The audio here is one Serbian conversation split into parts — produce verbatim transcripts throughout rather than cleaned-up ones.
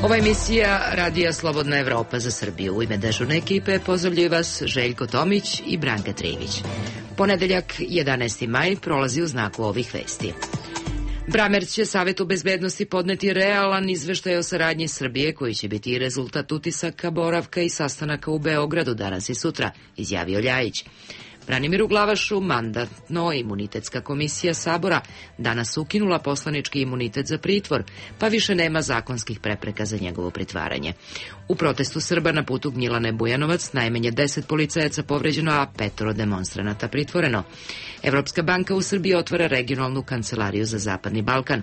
Ova emisija Radija Slobodna Evropa za Srbiju. U ime dežurne ekipe pozdravljaju vas Željko Tomić i Branka Trivić. Ponedeljak, jedanaesti maj, prolazi u znaku ovih vesti. Bramerc će Savetu bezbednosti podneti realan izveštaj o saradnji Srbije, koji će biti i rezultat utisaka, boravka i sastanaka u Beogradu danas i sutra, izjavio Ljajić. Branimiru Glavašu Mandatno-imunitetska komisija Sabora danas ukinula poslanički imunitet za pritvor, pa više nema zakonskih prepreka za njegovo pritvaranje. U protestu Srba na putu Gnjilane Bujanovac najmanje deset policajaca povređeno, a petoro demonstranata pritvoreno. Evropska banka u Srbiji otvara regionalnu kancelariju za Zapadni Balkan.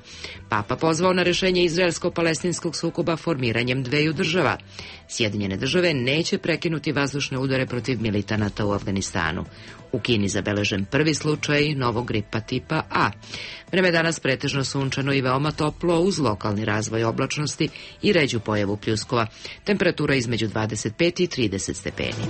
Papa pozvao na rešenje izraelsko-palestinskog sukoba formiranjem dveju država. Sjedinjene države neće prekinuti vazdušne udare protiv militanata u Afganistanu. U Kini zabeležen prvi slučaj novog gripa tipa A. Vreme danas pretežno sunčano i veoma toplo uz lokalni razvoj oblačnosti i ređu pojavu pljuskova. Temperatura između dvadeset pet i trideset stepeni.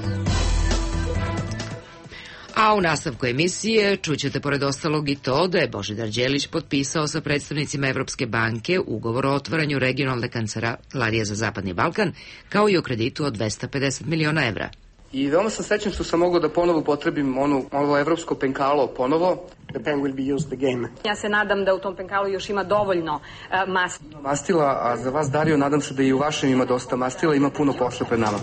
A u nastavku emisije čućete pored ostalog i to da je Božidar Đelić potpisao sa predstavnicima Evropske banke ugovor o otvaranju regionalne kancelarije za Zapadni Balkan, kao i o kreditu od dvesta pedeset miliona evra. I veoma sam srećan što sam mogao da ponovo upotrebim ono, ovo evropsko penkalo ponovo. The pen will be used again. Ja se nadam da u tom penkalu još ima dovoljno uh, mastila. Mastila, a za vas, Dario, nadam se da i u vašem ima dosta mastila, ima puno posla pred nama.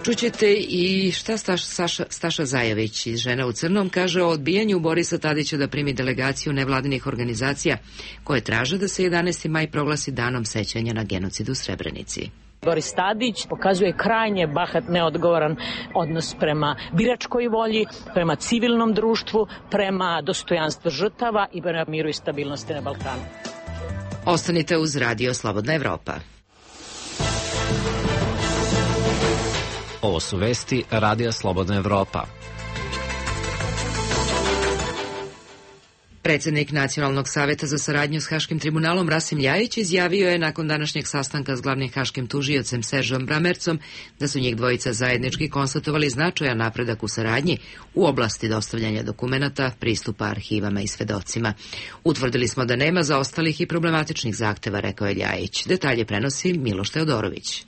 Čućete i šta Staš, Saša, Staša Zajević iz Žena u crnom kaže o odbijanju Borisa Tadića da primi delegaciju nevladinih organizacija koje traže da se jedanaesti maj proglasi danom sećanja na genocid u Srebrenici. Boris Tadić pokazuje krajnje bahat, neodgovoran odnos prema biračkoj volji, prema civilnom društvu, prema dostojanstvu žrtava i prema miru i stabilnosti na Balkanu. Ostanite uz Radio Slobodna Evropa. Ovo su vesti Radija Slobodna Evropa. Predsednik Nacionalnog saveta za saradnju s Haškim tribunalom Rasim Ljajić izjavio je nakon današnjeg sastanka s glavnim haškim tužiocem Seržom Bramercom da su njih dvojica zajednički konstatovali značajan napredak u saradnji u oblasti dostavljanja dokumenata, pristupa arhivama i svedocima. Utvrdili smo da nema zaostalih i problematičnih zahteva, rekao je Ljajić. Detalje prenosi Miloš Teodorović.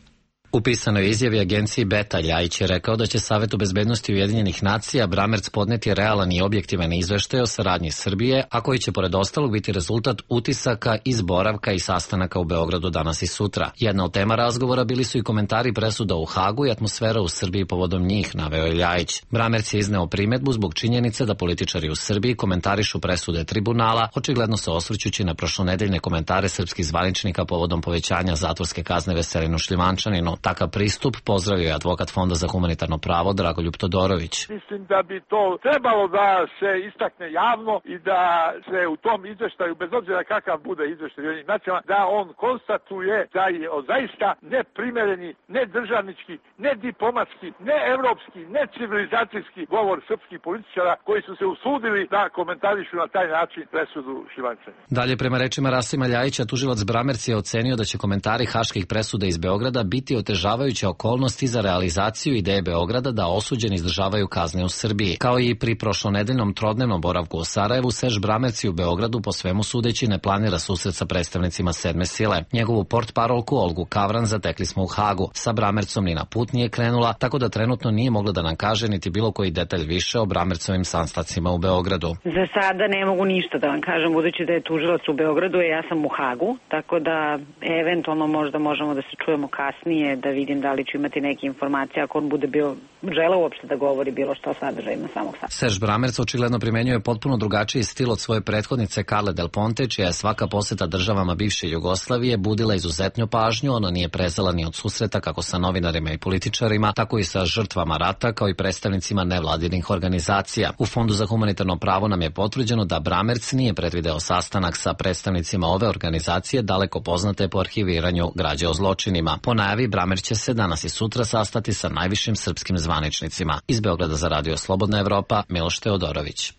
U pisanoj izjavi agenciji Beta Ljajić je rekao da će Savetu bezbednosti Ujedinjenih nacija Bramerc podneti realan i objektivan izveštaj o saradnji Srbije, a koji će pored ostalog biti rezultat utisaka iz boravka i sastanaka u Beogradu danas i sutra. Jedna od tema razgovora bili su i komentari presuda u Hagu i atmosfera u Srbiji povodom njih, naveo je Ljajić. Bramerc je izneo primetbu zbog činjenice da političari u Srbiji komentarišu presude tribunala, očigledno se osvrćući na prošlonedeljne komentare srpskih zvaničnika povodom povećanja zatvorske kazne Veselinu Šljivančaninu. Takav pristup pozdravio je advokat Fonda za humanitarno pravo Dragoljub Todorović. Mislim da bi to trebalo da se istakne javno i da se u tom izveštaju, bez obzira kakav bude izveštaj Ujedinjenih nacija, da on konstatuje da je zaista neprimereni, ne državnički, ne diplomatski, ne evropski, ne civilizacijski govor srpskih političara koji su se usudili da komentarišu na taj način presudu Šljivančaninu. Dalje, prema rečima Rasima Ljajića, tužilac Bramerc je ocenio da će komentari haških presuda iz Beograda biti otežavajuće okolnosti za realizaciju ideje Beograda da osuđeni izdržavaju kazne u Srbiji. Kao i pri prošlonedeljnom trodnevnom boravku u Sarajevu, Serž Bramerc u Beogradu po svemu sudeći ne planira susret sa predstavnicima sedme sile. Njegovu portparolku Olgu Kavran zatekli smo u Hagu. Sa Bramercom ni na put nije krenula, tako da trenutno nije mogla da nam kaže niti bilo koji detalj više o Bramercovim sastancima u Beogradu. Za sada ne mogu ništa da vam kažem, budući da je tužilac u Beogradu, a ja sam u Hagu, tako da eventualno možda možemo da se čujemo kasnije, da vidim da li ću imati neke informacije ako on bude bio želeo uopšte da govori bilo što o sadržajima samog sastanka. Serž Bramerc očigledno primenjuje potpuno drugačiji stil od svoje prethodnice Carle Del Ponte, čija je svaka poseta državama bivše Jugoslavije budila izuzetnu pažnju. Ona nije prezala ni od susreta kako sa novinarima i političarima, tako i sa žrtvama rata, kao i predstavnicima nevladinih organizacija. U Fondu za humanitarno pravo nam je potvrđeno da Bramerc nije predvideo sastanak sa predstavnicima ove organizacije, daleko poznate po arhiviranju građe o zločinima. Po najavi, Bramerc će se danas i sutra sastati sa najvišim srpskim zvaničnicima. Iz Beograda za Radio Slobodna Evropa, Miloš Teodorović.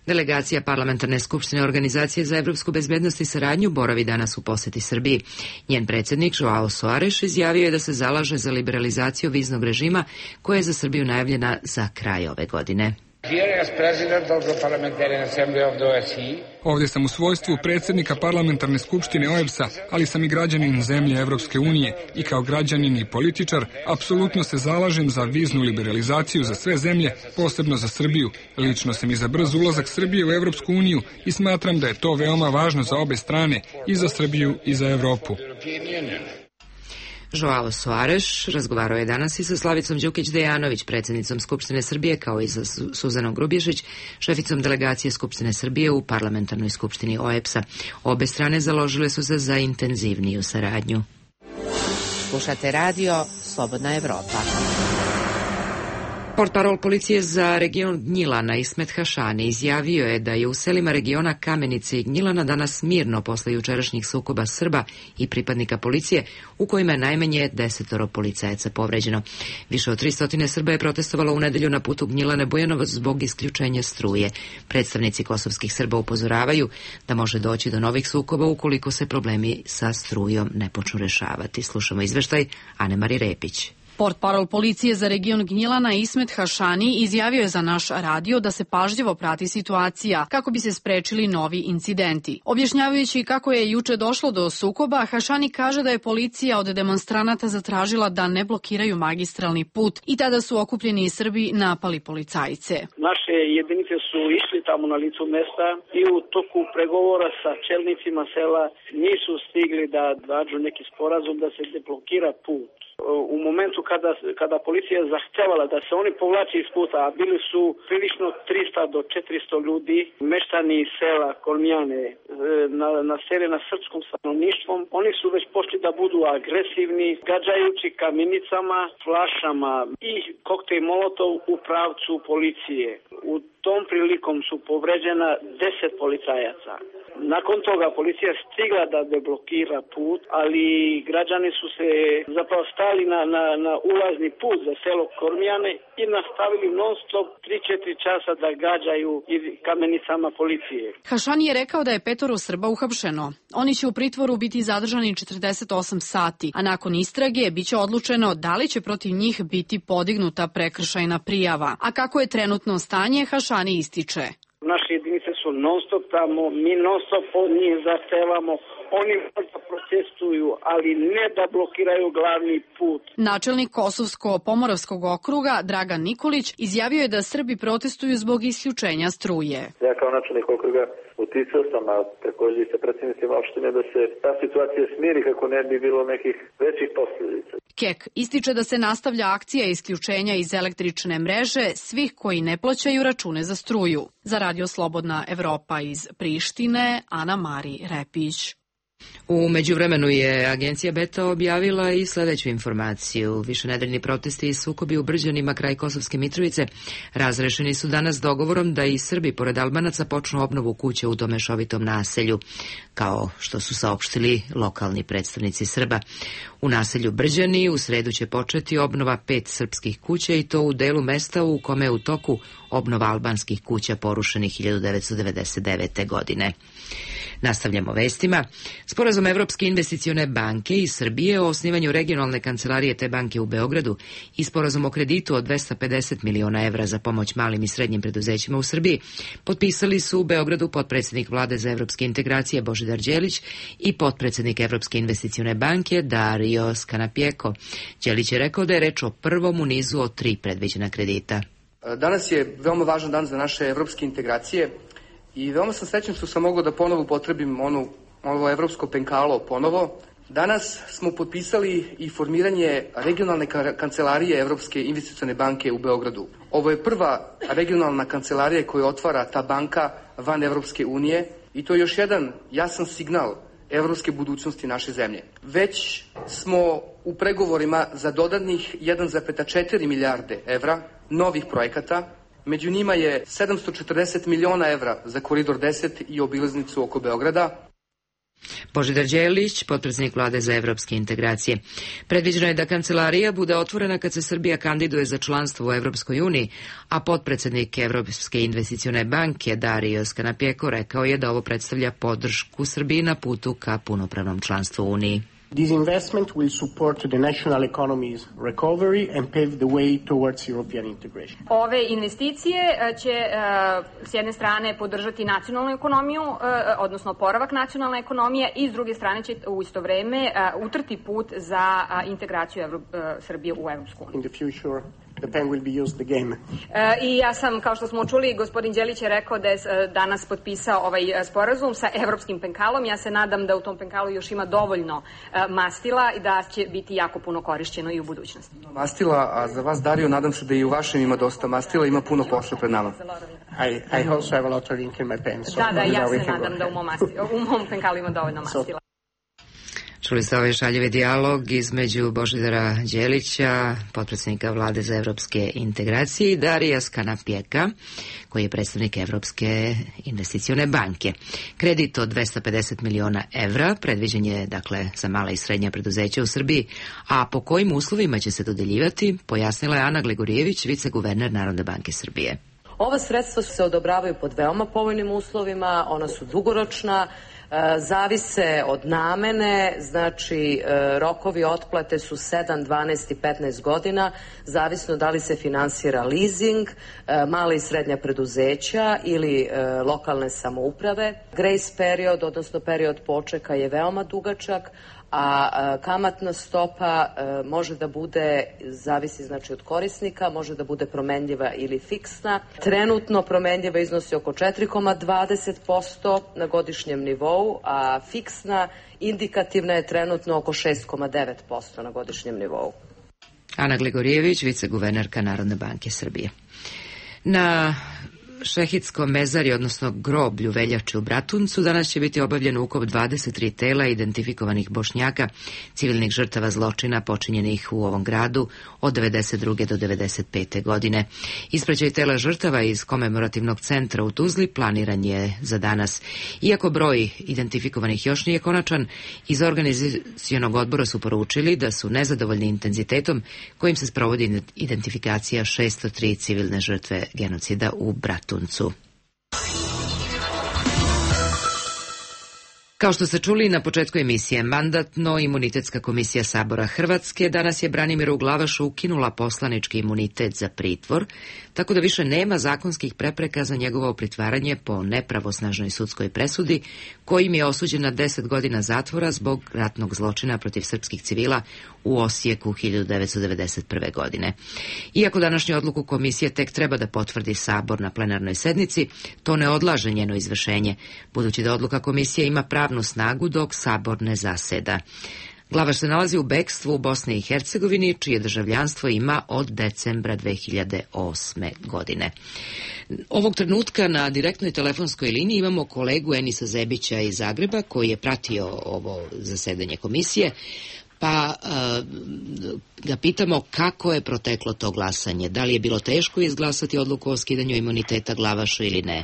Delegacija Parlamentarne skupštine Organizacije za evropsku bezbednost i saradnju boravi danas u poseti Srbiji. Njen predsjednik Joao Soares izjavio je da se zalaže za liberalizaciju viznog režima koja je za Srbiju najavljena za kraj ove godine. Ovdje sam u svojstvu predsjednika parlamentarne skupštine O E B S-a, ali sam i građanin zemlje Evropske unije i kao građanin i političar apsolutno se zalažem za viznu liberalizaciju za sve zemlje, posebno za Srbiju. Lično sam i za brz ulazak Srbije u Evropsku uniju i smatram da je to veoma važno za obe strane, i za Srbiju i za Evropu. Joao Soares razgovarao je danas i sa Slavicom Đukić-Dejanović, predsjednicom Skupštine Srbije, kao i sa Suzanom Grubješić, šeficom delegacije Skupštine Srbije u parlamentarnoj skupštini O E B S-a. Obe strane založile su se za intenzivniju saradnju. Slušate radio Slobodna Evropa. Portparol policije za region Gnjilana Ismet Hašani izjavio je da je u selima regiona Kamenice i Gnjilana danas mirno posle jučerašnjih sukoba Srba i pripadnika policije, u kojima je najmanje desetoro policajaca povređeno. Više od tristo Srba je protestovalo u nedelju na putu Gnjilane Bujanovac zbog isključenja struje. Predstavnici kosovskih Srba upozoravaju da može doći do novih sukoba ukoliko se problemi sa strujom ne počnu rešavati. Slušamo izveštaj Anemari Repić. Portparol policije za region Gnjilana Ismet Hašani izjavio je za naš radio da se pažljivo prati situacija kako bi se sprečili novi incidenti. Objašnjavajući kako je juče došlo do sukoba, Hašani kaže da je policija od demonstranata zatražila da ne blokiraju magistralni put i tada su okupljeni Srbi napali policajce. Naše jedinice su išli tamo na licu mesta i u toku pregovora sa čelnicima sela nisu stigli da nađu neki sporazum da se deblokira put. U momentu kada, kada policija je zahtevala da se oni povlači iz puta, a bili su prilično tristo do četiristo ljudi, meštani iz sela Kolmijane, na sele na srpskom stanovništvom, oni su već počeli da budu agresivni, gađajući kamenicama, flašama i koktejl molotov u pravcu policije. U tom prilikom su povređena deset policajaca. Nakon toga policija stigla da deblokira put, ali građani su se zapravo stali na, na, na ulazni put za selo Kormijane i nastavili non stop tri do četiri časa da gađaju kamenicama policije. Hašani je rekao da je petoro Srba uhapšeno. Oni će u pritvoru biti zadržani četrdeset osam sati, a nakon istrage biće odlučeno da li će protiv njih biti podignuta prekršajna prijava. A kako je trenutno stanje, Hašani ističe. Naše jedinice su non stop tamo, mi non stop od njih zahtevamo, oni možda protestuju, ali ne da blokiraju glavni put. Načelnik Kosovsko-Pomoravskog okruga Dragan Nikolić izjavio je da Srbi protestuju zbog isključenja struje. Ja kao načelnik okruga uticao sam, a također i sa predsjednicima opštine, da se ta situacija smiri kako ne bi bilo nekih većih posljedica. Kek ističe da se nastavlja akcija isključenja iz električne mreže svih koji ne plaćaju račune za struju. Za Radio Slobodna Evropa iz Prištine, Ana Mari Repić. U međuvremenu je agencija Beta objavila i sledeću informaciju. Višenedeljni protesti i sukobi u Brđanima kraj Kosovske Mitrovice razrešeni su danas dogovorom da i Srbi pored Albanaca počnu obnovu kuće u tom mešovitom naselju, kao što su saopštili lokalni predstavnici Srba. U naselju Brđani u sredu će početi obnova pet srpskih kuća i to u delu mesta u kome je u toku obnova albanskih kuća porušenih hiljadu devetsto devedeset devete. godine. Nastavljamo vestima. Sporazum Evropske investicione banke i Srbije o osnivanju regionalne kancelarije te banke u Beogradu i sporazum o kreditu od dvesta pedeset miliona evra za pomoć malim i srednjim preduzećima u Srbiji potpisali su u Beogradu potpredsednik Vlade za evropske integracije Božidar Đelić i potpredsednik Evropske investicione banke Dario Scanapieco. Đelić je rekao da je reč o prvom u nizu od tri predviđena kredita. Danas je veoma važan dan za naše evropske integracije i veoma sam srećan što sam mogao da ponovo upotrebim onu, ono evropsko penkalo ponovo. Danas smo potpisali i formiranje regionalne kancelarije Evropske investicione banke u Beogradu. Ovo je prva regionalna kancelarija koju otvara ta banka van Evropske unije i to je još jedan jasan signal evropske budućnosti naše zemlje. Već smo u pregovorima za dodatnih jedan zarez četiri milijarde evra novih projekata. Među njima je sedamsto četrdeset miliona evra za Koridor deset i obilaznicu oko Beograda. Božidar Đelić, potpredsednik Vlade za evropske integracije. Predviđeno je da kancelarija bude otvorena kad se Srbija kandiduje za članstvo u Evropskoj uniji, a potpredsednik Evropske investicione banke Dario Scanapieco rekao je da ovo predstavlja podršku Srbiji na putu ka punopravnom članstvu u Uniji. This investment will support the national economy's recovery and pave the way towards European integration. Ove investicije će s jedne strane podržati nacionalnu ekonomiju, odnosno oporavak nacionalne ekonomije, i s druge strane će u isto vreme utrti put za integraciju Srbije u Evropsku uniju. In the future, the pen will be used again. I ja sam, kao što smo čuli, gospodin Đelić je rekao da je danas potpisao ovaj sporazum sa evropskim penkalom. Ja se nadam da u tom penkalu još ima dovoljno mastila i da će biti jako puno korišćeno i u budućnosti. Mastila, a za vas, Dario, nadam se da i u vašem ima dosta mastila, ima puno posla pred nama. I, I also have a lot of ink in my pen. So da, da, ja se nadam da u mom, mastila, u mom penkalu ima dovoljno mastila. Čuli ste ovaj šaljivi dijalog između Božidara Đelića, potpredsjednika Vlade za evropske integracije, i Darija Skanapjeka, koji je predstavnik Evropske investicione banke. Kredit od dvesta pedeset miliona evra predviđen je, dakle, za mala i srednja preduzeća u Srbiji, a po kojim uslovima će se dodeljivati, pojasnila je Ana Gligorijević, viceguverner Narodne banke Srbije. Ova sredstva se odobravaju pod veoma povoljnim uslovima, ona su dugoročna, zavise od namene, znači rokovi otplate su sedam, dvanaest i petnaest godina, zavisno da li se finansira leasing, mala i srednja preduzeća ili lokalne samouprave. Grace period, odnosno period počeka, je veoma dugačak, a kamatna stopa može da bude, zavisi znači od korisnika, može da bude promenljiva ili fiksna. Trenutno promenljiva iznosi oko četiri zarez dvadeset posto na godišnjem nivou, a fiksna indikativna je trenutno oko šest zarez devet posto na godišnjem nivou. Ana Gligorijević, viceguvernerka Narodne banke Srbije. Na Šehidskom mezari, odnosno groblju Veljače u Bratuncu, danas će biti obavljen ukop dvadeset tri tela identifikovanih Bošnjaka, civilnih žrtava zločina počinjenih u ovom gradu od devedeset druge do devedeset pete godine. Ispraćaj tela žrtava iz komemorativnog centra u Tuzli planiran je za danas. Iako broj identifikovanih još nije konačan, iz organizacionog odbora su poručili da su nezadovoljni intenzitetom kojim se sprovodi identifikacija šesto tri civilne žrtve genocida u Bratuncu. Kao što ste čuli na početku emisije, Mandatno-imunitetska komisija Sabora Hrvatske danas je Branimiru Glavašu ukinula poslanički imunitet za pritvor, tako da više nema zakonskih prepreka za njegovo pritvaranje po nepravosnažnoj sudskoj presudi, kojim je osuđen na deset godina zatvora zbog ratnog zločina protiv srpskih civila u Osijeku hiljadu devetsto devedeset prve. godine. Iako današnju odluku komisije tek treba da potvrdi Sabor na plenarnoj sednici, to ne odlaže njeno izvršenje, budući da odluka komisije ima pravnu snagu dok Sabor ne zaseda. Glavaš se nalazi u bekstvu u Bosni i Hercegovini, čije državljanstvo ima od decembra dve hiljade osme. godine. Ovog trenutka na direktnoj telefonskoj liniji imamo kolegu Enisa Zebića iz Zagreba, koji je pratio ovo zasedanje komisije, pa ga pitamo kako je proteklo to glasanje. Da li je bilo teško izglasati odluku o skidanju imuniteta Glavašu ili ne?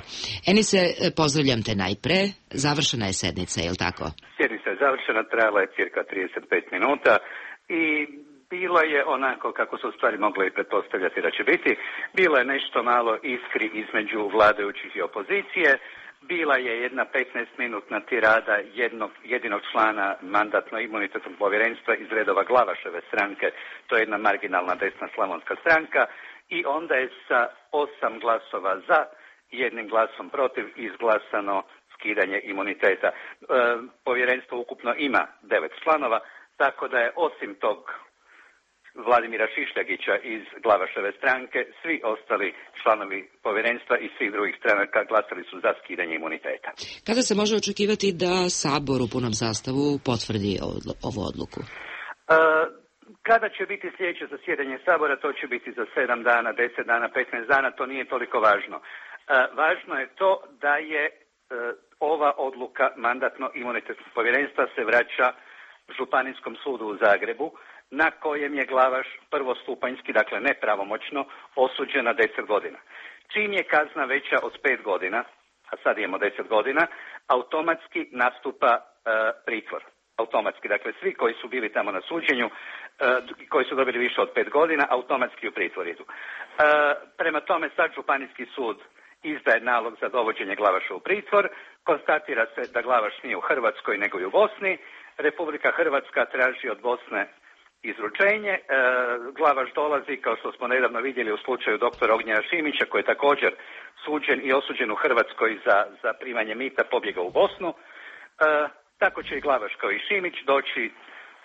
Enise, pozdravljam te najpre. Završena je sednica, je li tako? Sjednica je završena, trajala je cirka trideset pet minuta i bilo je onako kako su stvari mogle i pretpostavljati da će biti. Bilo je nešto malo iskri između vladajućih i opozicije. Bila je jedna petnaestminutna tirada jednog, jedinog člana mandatno-imunitetnog povjerenstva iz redova Glavaševe stranke, to je jedna marginalna desna slavonska stranka, i onda je sa osam glasova za i jednim glasom protiv izglasano skidanje imuniteta. E, povjerenstvo ukupno ima devet članova, tako da je osim tog Vladimira Šišljagića iz Glavaševe stranke, svi ostali članovi povjerenstva i svih drugih stranaka glasali su za skidanje imuniteta. Kada se može očekivati da Sabor u punom sastavu potvrdi ovu odluku? E, kada će biti sljedeće zasjedanje Sabora, to će biti za sedam dana, deset dana, petnaest dana, to nije toliko važno. E, važno je to da je e, ova odluka mandatno-imunitetnog povjerenstva se vraća Županijskom sudu u Zagrebu, na kojem je Glavaš prvostupanjski, dakle nepravomoćno, osuđen na deset godina. Čim je kazna veća od pet godina, a sad imamo deset godina, automatski nastupa e, pritvor. Automatski, dakle svi koji su bili tamo na suđenju, e, koji su dobili više od pet godina, automatski u pritvor idu. E, prema tome sad Županijski sud izdaje nalog za dovođenje Glavaša u pritvor, konstatira se da Glavaš nije u Hrvatskoj nego i u Bosni, Republika Hrvatska traži od Bosne izručenje, e, Glavaš dolazi, kao što smo nedavno vidjeli u slučaju doktora Ognjena Šimića, koji je također suđen i osuđen u Hrvatskoj za, za primanje mita, pobjega u Bosnu. E, tako će i Glavaš kao i Šimić doći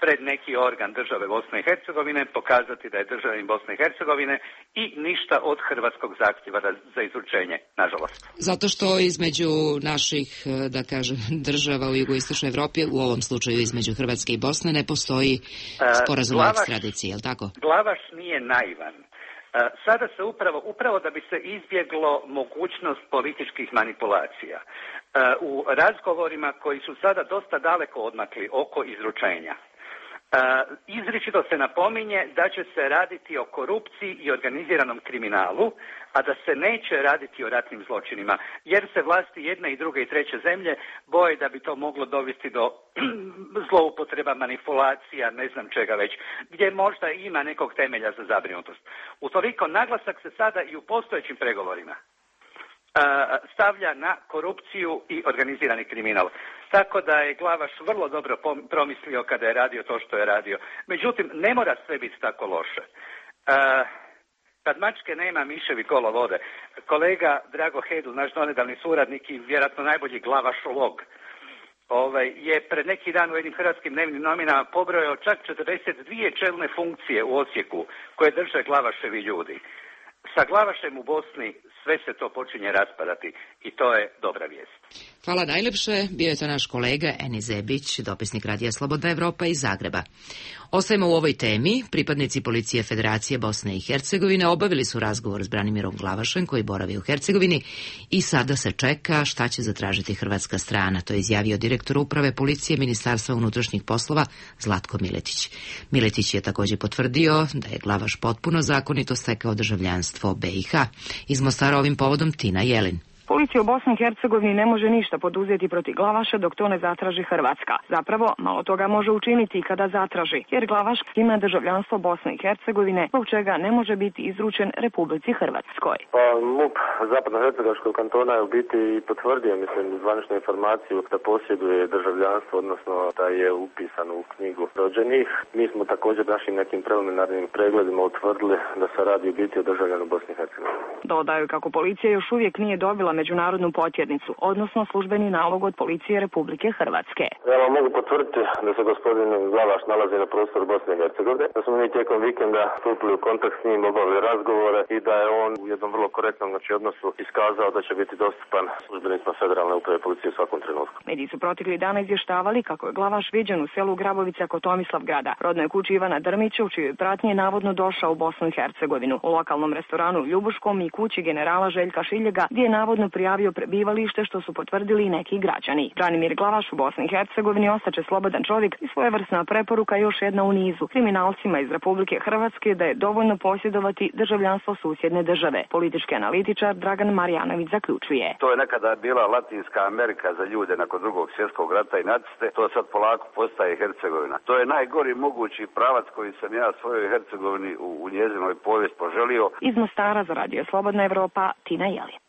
pred neki organ države Bosne i Hercegovine, pokazati da je državljanin Bosne i Hercegovine i ništa od hrvatskog zahtjeva za izručenje, nažalost. Zato što između naših, da kažem, država u jugoistočnoj Evropi, u ovom slučaju između Hrvatske i Bosne, ne postoji sporazum o ekstradiciji, je li tako? Glavaš nije naivan. Sada se upravo, upravo da bi se izbjeglo mogućnost političkih manipulacija, u razgovorima koji su sada dosta daleko odmakli oko izručenja, izričito se napominje da će se raditi o korupciji i organiziranom kriminalu, a da se neće raditi o ratnim zločinima, jer se vlasti jedne i druge i treće zemlje boje da bi to moglo dovesti do zloupotreba, manipulacija, ne znam čega već, gdje možda ima nekog temelja za zabrinutost. Utoliko naglasak se sada i u postojećim pregovorima stavlja na korupciju i organizirani kriminal. Tako da je Glavaš vrlo dobro promislio kada je radio to što je radio. Međutim, ne mora sve biti tako loše. Kad mačke nema, miševi kolo vode. Kolega Drago Hedl, naš donedavni suradnik i vjerojatno najbolji Glavašolog, ovaj, je pred neki dan u jednim hrvatskim dnevnim novinama pobrojao čak četrdeset dvije čelne funkcije u Osijeku koje drže Glavaševi ljudi. Sa Glavašem u Bosni sve se to počinje raspadati i to je dobra vijest. Hvala najlepše. Bio je to naš kolega Eni Zebić, dopisnik Radija Slobodna Evropa iz Zagreba. Ostajemo u ovoj temi. Pripadnici Policije Federacije Bosne i Hercegovine obavili su razgovor s Branimirom Glavašem, koji boravi u Hercegovini, i sada se čeka šta će zatražiti hrvatska strana. To je izjavio direktor uprave policije Ministarstva unutrašnjih poslova Zlatko Miletić. Miletić je također potvrdio da je Glavaš potpuno zakonito stekao državljanstvo B i H. Iz Mostara ovim povodom Tina Jelin. Policija u Bosni i Hercegovini ne može ništa poduzeti protiv Glavaša dok to ne zatraži Hrvatska. Zapravo, malo toga može učiniti i kada zatraži, jer Glavaš ima državljanstvo Bosne i Hercegovine, zbog čega ne može biti izručen Republici Hrvatskoj. Pa MUP Zapadno-Hercegovačkog kantona je u biti i potvrdio, mislim, zvaničnu informaciju da posjeduje državljanstvo, odnosno da je upisan u knjigu rođenih. Mi smo također našim nekim preliminarnim pregledima utvrdili da se radi u biti o državljanu Bosne i Hercegovine. Dodaju kako policija još uvijek nije dobila međunarodnu potjernicu, odnosno službeni nalog od Policije Republike Hrvatske. Ja vam mogu potvrditi da se gospodin Glavaš nalazi na prostoru Bosne i Hercegovine, da smo mi tijekom vikenda stupili u kontakt s njim, obavili razgovore i da je on u jednom vrlo korektnom znači, odnosu iskazao da će biti dostupan službenicima Federalne uprave policije u svakom trenutku. Mediji su proteklih dana izvještavali kako je Glavaš viđen u selu Grabovica kod Tomislavgrada, rodnoj kući Ivana Drmića, u čijoj pratnji je navodno došao u Bosnu i Hercegovinu, u lokalnom restoranu Ljubuškom i kući generala Željka Šiljega, gdje je navodno prijavio prebivalište, što su potvrdili i neki građani. Branimir Glavaš u Bosni i Hercegovini ostaće slobodan čovjek i svojevrsna preporuka još jedna u nizu kriminalcima iz Republike Hrvatske da je dovoljno posjedovati državljanstvo susjedne države. Politički analitičar Dragan Marjanović zaključuje. To je nekada bila Latinska Amerika za ljude nakon drugog svjetskog rata i naciste, to sad polako postaje Hercegovina. To je najgori mogući pravac koji sam ja svojoj Hercegovini u, u njezinoj povijest poželio. Iz Mostara za Radio Slobodna Evropa, Tina Jelin.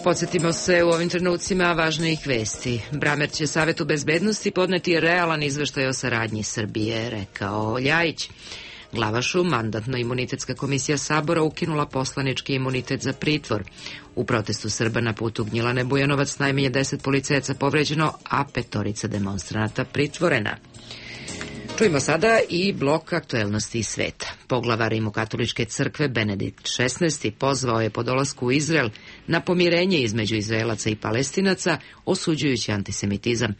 Podsjetimo se u ovim trenucima važnijih vesti. Bramer će Savetu bezbednosti podneti realan izveštaj o saradnji Srbije, rekao Ljajić. Glavašu Mandatno-imunitetska komisija Sabora ukinula poslanički imunitet za pritvor. U protestu Srba na putu Gnjilane Bujanovac najmanje deset policajaca povređeno, a petorica demonstranata pritvorena. Čujemo sada i blok aktuelnosti iz sveta. Poglavar Rimokatoličke crkve Benedikt šesnaesti pozvao je po dolasku u Izrael na pomirenje između Izraelaca i Palestinaca, osuđujući antisemitizam.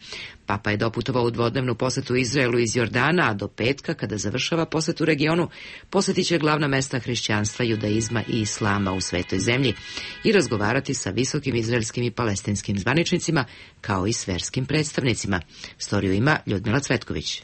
Papa je doputovao u dvodnevnu posetu Izraelu iz Jordana, a do petka, kada završava posetu regionu, posjetit će glavna mesta hrišćanstva, judaizma i islama u svetoj zemlji i razgovarati sa visokim izraelskim i palestinskim zvaničnicima, kao i s verskim predstavnicima. Storiju ima Ljudmila Cvetković.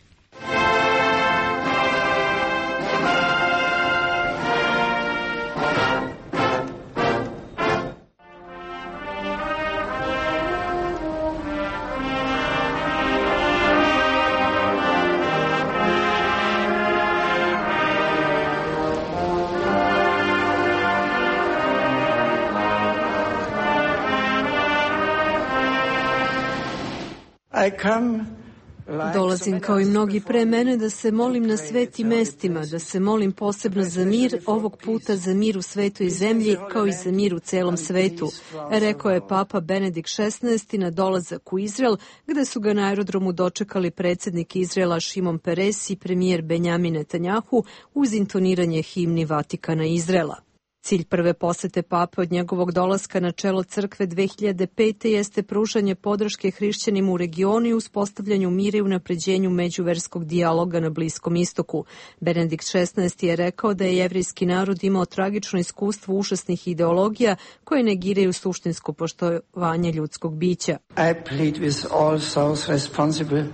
Dolazim kao i mnogi pre mene da se molim na svetim mestima, da se molim posebno za mir, ovog puta za mir u svetu i zemlji, kao i za mir u celom svetu, rekao je Papa Benedikt šesnaesti na dolazak u Izrael, gde su ga na aerodromu dočekali predsjednik Izraela Šimon Peres i premijer Benjamin Netanjahu uz intoniranje himni Vatikana Izraela. Cilj prve posete pape od njegovog dolaska na čelo crkve dve hiljade pete. jeste pružanje podrške hrišćanima u regionu i uspostavljanju mira i unapređenju međuverskog dijaloga na Bliskom istoku. Benedikt šesnaesti je rekao da je jevrejski narod imao tragično iskustvo užasnih ideologija koje negiraju suštinsko poštovanje ljudskog bića. I plead with all those responsible.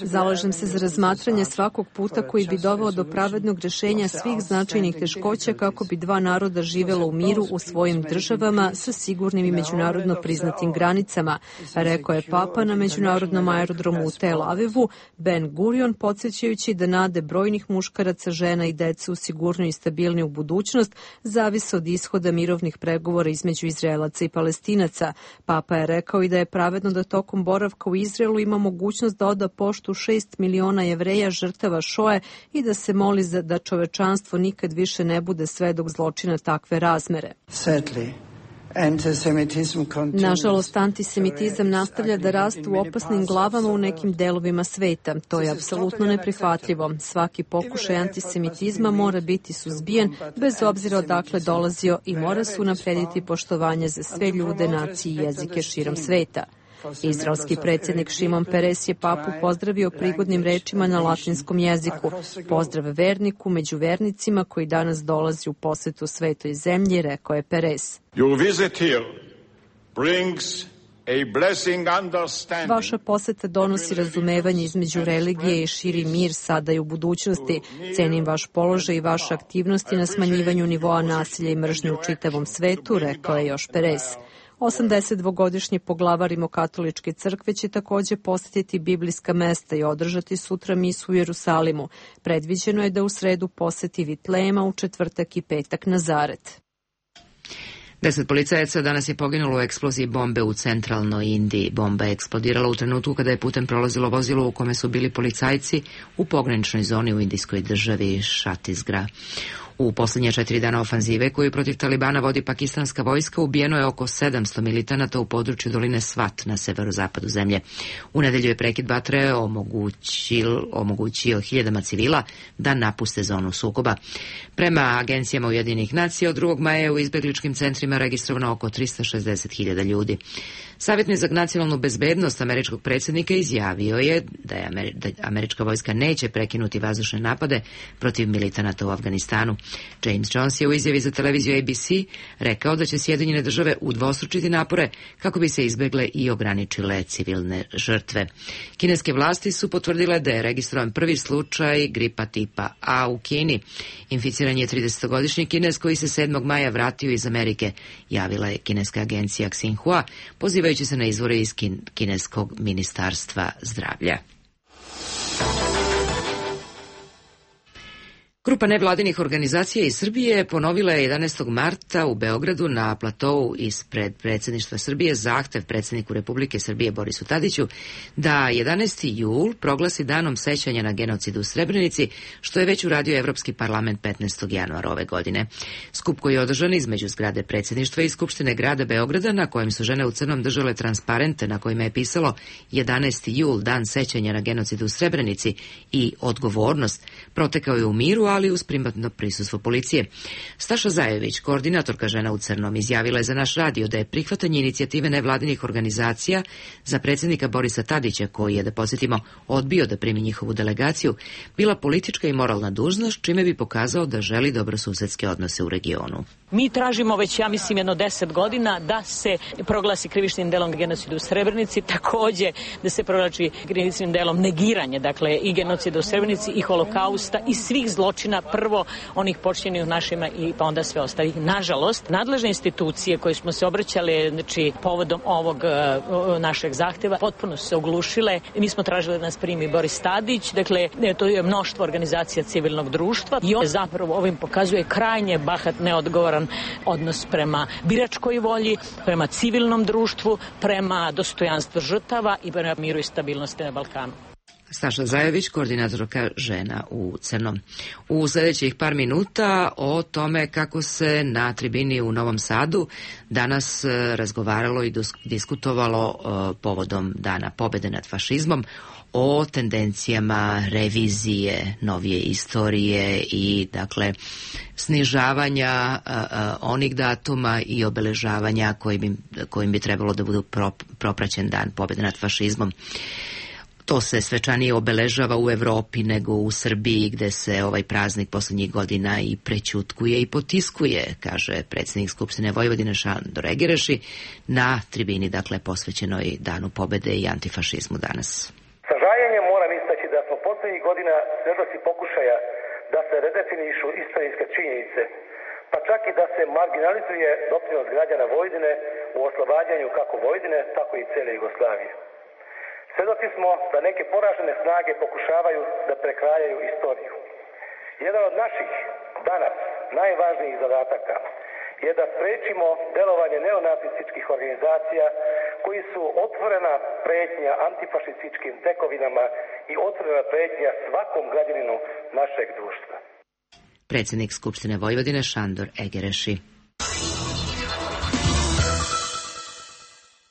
Zalažem se za razmatranje svakog puta koji bi doveo do pravednog rešenja svih značajnih teškoća kako bi dva naroda živela u miru u svojim državama sa sigurnim i međunarodno priznatim granicama, rekao je Papa na međunarodnom aerodromu u Tel Avivu, Ben Gurion, podsjećajući da nade brojnih muškaraca, žena i dece u sigurniju i stabilniju budućnost zavise od ishoda mirovnih pregovora između Izraelaca i Palestinaca. Papa je rekao i da je pravedno da tokom boravka u Izraelu imamo mogućnost da oda poštu šest miliona Jevreja žrtava Šoe i da se moli za da čovečanstvo nikad više ne bude svedok zločina takve razmere. Nažalost, antisemitizam nastavlja da raste u opasnim glavama u nekim delovima sveta. To je apsolutno neprihvatljivo. Svaki pokušaj antisemitizma mora biti suzbijen bez obzira odakle dolazio i mora se unaprediti poštovanje za sve ljude, nacije i jezike širom sveta. Izraelski predsjednik Šimon Peres je papu pozdravio prigodnim rečima na latinskom jeziku. Pozdrav verniku među vernicima koji danas dolazi u posetu svetoj zemlji, rekao je Peres. Vaša poseta donosi razumevanje između religije i širi mir sada i u budućnosti. Cenim vaš položaj i vaše aktivnosti na smanjivanju nivoa nasilja i mržnje u čitavom svetu, rekao je još Peres. osamdesetdvogodišnji poglavar Rimokatoličke crkve će takođe posetiti biblijska mesta i održati sutra misu u Jerusalimu. Predviđeno je da u sredu poseti Vitlema, u četvrtak i petak Nazaret. Deset policajaca danas je poginulo u eksploziji bombe u centralnoj Indiji. Bomba je eksplodirala u trenutku kada je putem prolazilo vozilo u kome su bili policajci u pograničnoj zoni u indijskoj državi Šatisgra. U posljednje četiri dana ofanzive koju protiv Talibana vodi pakistanska vojska ubijeno je oko sedamsto militanata u području doline Svat na severozapadu zemlje. U nedelju je prekid vatre omogućio, omogućio hiljadama civila da napuste zonu sukoba. Prema agencijama Ujedinjenih nacija od drugog maja je u izbegličkim centrima registrovano oko trista šezdeset hiljada ljudi. Savjetnik za nacionalnu bezbednost američkog predsjednika izjavio je da, je Ameri- da američka vojska neće prekinuti vazdušne napade protiv militanata u Afganistanu. James Jones je u izjavi za televiziju A B C rekao da će Sjedinjene države udvostručiti napore kako bi se izbegle i ograničile civilne žrtve. Kineske vlasti su potvrdile da je registrovan prvi slučaj gripa tipa A u Kini. Inficiran je tridesetogodišnji Kinez koji se sedmog maja vratio iz Amerike, javila je kineska agencija Xinhua, pozivajući se na izvore iz kin- kineskog ministarstva zdravlja. Grupa nevladinih organizacija iz Srbije ponovila je jedanaestog marta u Beogradu na platou ispred predsjedništva Srbije zahtev predsjedniku Republike Srbije Borisu Tadiću da jedanaesti jul proglasi danom sećanja na genocid u Srebrenici, što je već uradio Evropski parlament petnaestog januara ove godine. Skup koji je održan između zgrade predsjedništva i Skupštine grada Beograda, na kojem su žene u crnom držale transparente na kojima je pisalo jedanaesti jul, dan sećanja na genocid u Srebrenici i odgovornost, protekao je u miru, ali uz primatno prisustvo policije. Staša Zajević, koordinatorka žena u crnom, izjavila je za naš radio da je prihvatanje inicijative nevladinih organizacija za predsjednika Borisa Tadića, koji je, da posjetimo, odbio da primi njihovu delegaciju, bila politička i moralna dužnost, čime bi pokazao da želi dobrosusedske odnose u regionu. Mi tražimo već, ja mislim, jedno deset godina da se proglasi krivičnim delom genocida u Srebrenici, takođe da se proglasi krivičnim delom negiranje, dakle, i genocida u Srebrenici i holokausta i svih zločina zločina, prvo onih počinjenih našima i pa onda sve ostalih. Nažalost, nadležne institucije koje smo se obraćali, znači, povodom ovog uh, našeg zahteva, potpuno su se oglušile. Mi smo tražili da nas primi Boris Tadić, dakle, to je mnoštvo organizacija civilnog društva i on zapravo ovim pokazuje krajnje bahat, neodgovoran odnos prema biračkoj volji, prema civilnom društvu, prema dostojanstvu žrtava i prema miru i stabilnosti na Balkanu. Staša Zajović, koordinatorka Žena u crnom. U sljedećih par minuta o tome kako se na tribini u Novom Sadu danas razgovaralo i diskutovalo povodom Dana pobede nad fašizmom, o tendencijama revizije novije istorije i, dakle, snižavanja a, a, onih datuma i obeležavanja kojim bi, kojim bi trebalo da budu pro, propraćen Dan pobede nad fašizmom. To se svečanije obeležava u Evropi nego u Srbiji, gde se ovaj praznik poslednjih godina i prećutkuje i potiskuje, kaže predsjednik Skupštine Vojvodine Šandor Egereši na tribini, dakle, posvećenoj Danu pobede i antifašizmu danas. Sa žaljenjem moram istaći da smo poslednjih godina svedoci pokušaja da se redefinišu istorijske činjenice, pa čak i da se marginalizuje doprinos građana Vojvodine u oslobađanju kako Vojvodine, tako i cele Jugoslavije. Svedoci smo da neke poražene snage pokušavaju da prekrajaju istoriju. Jedan od naših danas najvažnijih zadataka je da sprečimo delovanje neonacističkih organizacija koji su otvorena pretnja antifašističkim tekovinama i otvorena pretnja svakom građaninu našeg društva. Predsjednik Skupštine Vojvodine Šandor Egereši.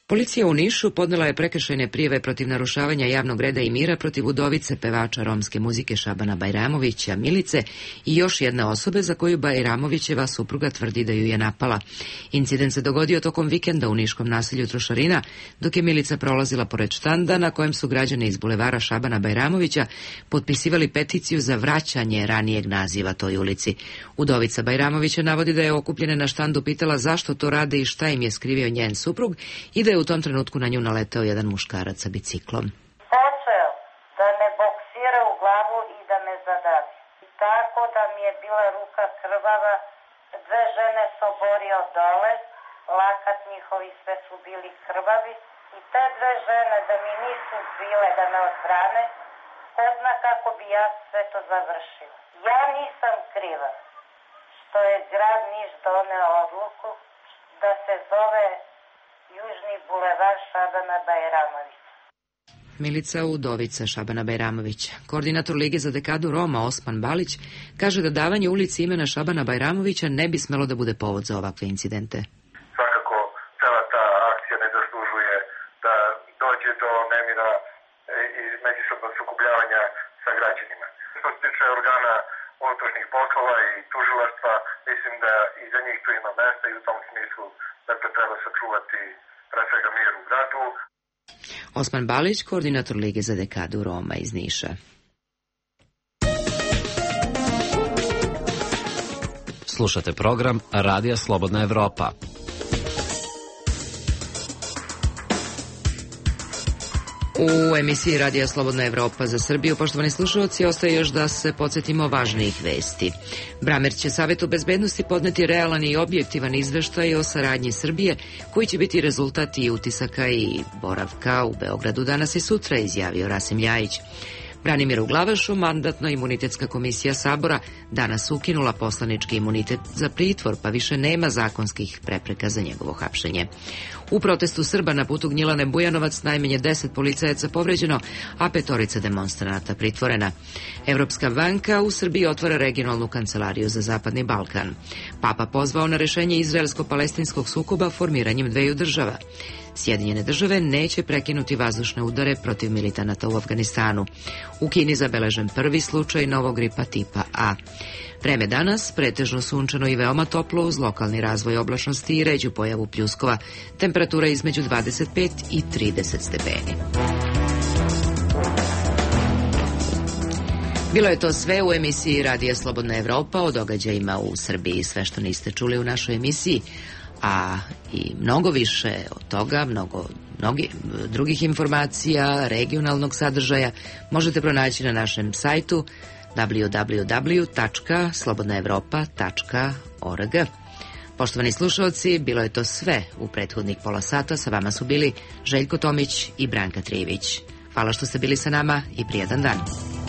Policija u Nišu podnela je prekršajne prijave protiv narušavanja javnog reda i mira protiv udovice pevača romske muzike Šabana Bajramovića, Milice, i još jedne osobe za koju Bajramovićeva supruga tvrdi da ju je napala. Incident se dogodio tokom vikenda u niškom naselju Trošarina, dok je Milica prolazila pored štanda na kojem su građani iz bulevara Šabana Bajramovića potpisivali peticiju za vraćanje ranijeg naziva toj ulici. Udovica Bajramovića navodi da je okupljena na štandu pitala zašto to rade i šta im je skrivio njen suprug i da je u tom trenutku na nju naleteo jedan muškarac sa biciklom. Počeo da me boksira u glavu i da me zadavi. Tako da mi je bila ruka krvava, dve žene se oborio dole, lakat njihovi sve su bili krvavi i te dve žene da mi nisu bile da me odbrane, ko zna kako bi ja sve to završila. Ja nisam kriva što je grad Niš doneo odluku da se zove Južni bulevar Šabana Bajramovića. Milica Udovica Šabana Bajramovića. Koordinator Lige za dekadu Roma Osman Balić kaže da davanje ulici imena Šabana Bajramovića ne bi smelo da bude povod za ovakve incidente. Svakako, cela ta akcija ne zaslužuje da dođe do nemira i međusobnog sukobljavanja sa građanima. Što se tiče organa unutrašnjih poslova i tužilaštva, mislim da i za njih tu ima mesta i u tom smislu dakle treba sačuvati pre svega mir u gradu. Osman Balić, koordinator Lige za dekadu Roma iz Niša. Slušate program Radija Slobodna Evropa. U emisiji Radija Slobodna Evropa za Srbiju, poštovani slušalci, ostaje još da se podsjetimo važnijih vesti. Bramer će Savetu bezbednosti podneti realan i objektivan izveštaj o saradnji Srbije, koji će biti rezultat i utisaka i boravka u Beogradu danas i sutra, izjavio Rasim Ljajić. Branimiru Glavašu Mandatno-imunitetska komisija Sabora danas ukinula poslanički imunitet za pritvor, pa više nema zakonskih prepreka za njegovo hapšenje. U protestu Srba na putu Gnjilane Bujanovac najmanje deset policajaca povređeno, a petorica demonstranata pritvorena. Evropska banka u Srbiji otvara regionalnu kancelariju za Zapadni Balkan. Papa pozvao na rešenje izraelsko-palestinskog sukoba formiranjem dveju država. Sjedinjene države neće prekinuti vazdušne udare protiv militanata u Afganistanu. U Kini zabeležen prvi slučaj novog gripa tipa A. Vreme danas pretežno sunčano i veoma toplo uz lokalni razvoj oblačnosti i ređu pojavu pljuskova. Temperatura između dvadeset pet i trideset stepeni. Bilo je to sve u emisiji Radija Slobodna Evropa o događajima u Srbiji. Sve što niste čuli u našoj emisiji, a i mnogo više od toga, mnogo mnogi drugih informacija, regionalnog sadržaja možete pronaći na našem sajtu w w w tačka slobodna evropa tačka org. Poštovani slušalci, bilo je to sve u prethodnih pola sata. Sa vama su bili Željko Tomić i Branka Trijević. Hvala što ste bili sa nama i prijedan dan.